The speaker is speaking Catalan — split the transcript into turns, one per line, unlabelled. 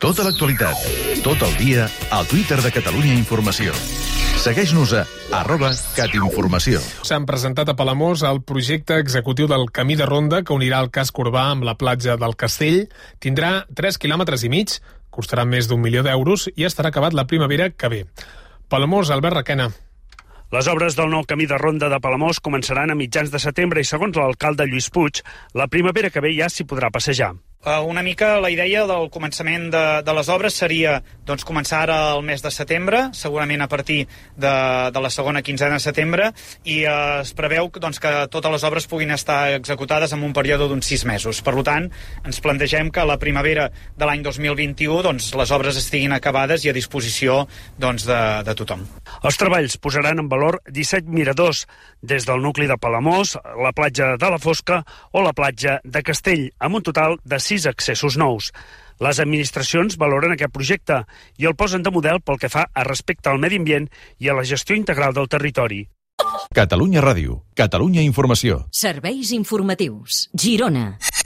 Tota l'actualitat, tot el dia, al Twitter de Catalunya Informació. Segueix-nos a @catinformació.
S'han presentat a Palamós el projecte executiu del camí de ronda que unirà el casc urbà amb la platja del Castell. Tindrà 3,5 quilòmetres, costarà més d'1 milió d'euros i estarà acabat la primavera que ve. Palamós, Albert Requena.
Les obres del nou camí de ronda de Palamós començaran a mitjans de setembre i, segons l'alcalde Lluís Puig, la primavera que ve ja s'hi podrà passejar.
Una mica la idea del començament de les obres seria començar ara el mes de setembre, segurament a partir de la segona quinzena de setembre, i es preveu que totes les obres puguin estar executades en un període d'uns 6 mesos. Per tant, ens plantegem que a la primavera de l'any 2021 les obres estiguin acabades i a disposició de tothom.
Els treballs posaran en valor 17 miradors, des del nucli de Palamós, la platja de la Fosca o la platja de Castell, amb un total de 6 accessos nous. Les administracions valoren aquest projecte i el posen de model pel que fa a respecte al medi ambient i a la gestió integral del territori.
Catalunya Ràdio, Catalunya Informació.
Serveis informatius. Girona.